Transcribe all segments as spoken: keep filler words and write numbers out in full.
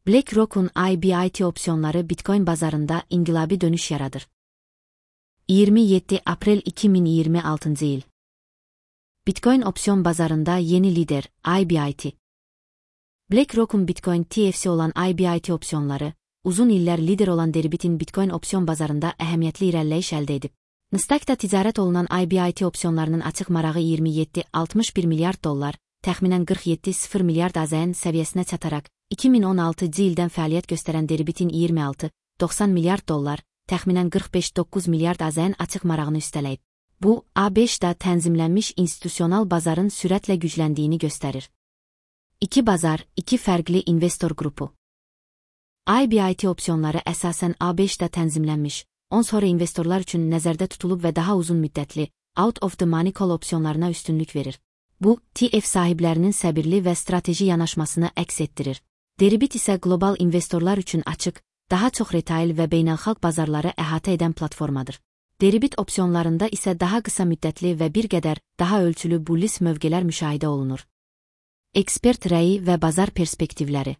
BlackRock'un I B I T opsiyonları Bitcoin bazarında inqilabi dönüş yaradır. iyirmi yeddi aprel iki min iyirmi altıncı yıl. Bitcoin opsiyon bazarında yeni lider, I B I T. BlackRock'un Bitcoin T F C olan I B I T opsiyonları, uzun illər lider olan Deribit'in Bitcoin opsiyon bazarında əhəmiyyətli irəliləyiş əldə edib. Nasdaqda ticarət olunan I B I T opsiyonlarının açıq marağı iyirmi yeddi altmış bir milyard dollar, təxminən qırx yeddi sıfır milyard A Z N səviyyəsinə çataraq, iki min on altıncı ildən fəaliyyət göstərən Deribit'in iyirmi altı doxsan milyard dollar, təxminən qırx beş doqquz milyard A Z N açıq marağını üstələyib. Bu, A beşdə tənzimlənmiş institusional bazarın sürətlə gücləndiyini göstərir. İki bazar, iki fərqli investor qrupu. I B I T opsiyonları əsasən A beşdə tənzimlənmiş, on sonra investorlar üçün nəzərdə tutulub və daha uzun müddətli, out of the money call opsiyonlarına üstünlük verir. Bu, T F sahiblərinin səbirli və strateji yanaşmasını əks etdirir. Deribit isə qlobal investorlar üçün açıq, daha çox retail və beynəlxalq bazarları əhatə edən platformadır. Deribit opsiyonlarında isə daha qısa müddətli və bir qədər daha ölçülü bullish mövqelər müşahidə olunur. Ekspert rəyi və bazar perspektivləri.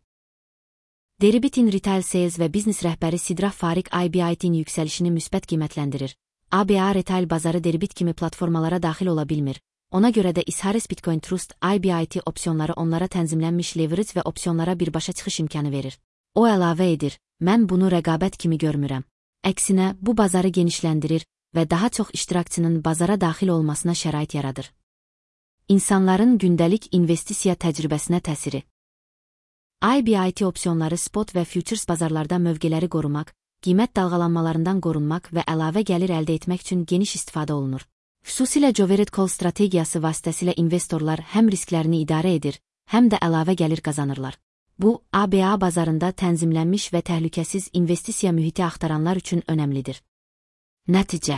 Deribit'in retail sales və biznes rəhbəri Sidrah Fariq I B I T'nin yüksəlişini müsbət qiymətləndirir. A B A retail bazarı Deribit kimi platformalara daxil ola bilmir. Ona görə də Isharis Bitcoin Trust I B I T opsiyonları onlara tənzimlənmiş leverage və opsiyonlara birbaşa çıxış imkanı verir. O əlavə edir, mən bunu rəqabət kimi görmürəm. Əksinə, bu bazarı genişləndirir və daha çox iştirakçının bazara daxil olmasına şərait yaradır. İnsanların gündəlik investisiya təcrübəsinə təsiri. I B I T opsiyonları spot və futures bazarlarda mövqeləri qorumaq, qiymət dalğalanmalarından qorunmaq və əlavə gəlir əldə etmək üçün geniş istifadə olunur. Xüsusilə Jovered Call strategiyası vasitəsilə investorlar həm risklərini idarə edir, həm də əlavə gəlir qazanırlar. Bu, A B A bazarında tənzimlənmiş və təhlükəsiz investisiya mühiti axtaranlar üçün önəmlidir. Nəticə.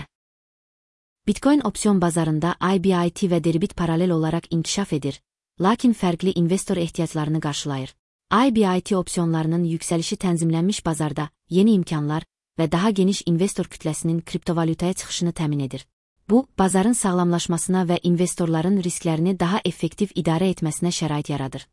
Bitcoin opsiyon bazarında I B I T və Deribit paralel olaraq inkişaf edir, lakin fərqli investor ehtiyaclarını qarşılayır. I B I T opsiyonlarının yüksəlişi tənzimlənmiş bazarda yeni imkanlar və daha geniş investor kütləsinin kriptovalyutaya çıxışını təmin edir. Bu, bazarın sağlamlaşmasına və investorların risklərini daha effektiv idarə etməsinə şərait yaradır.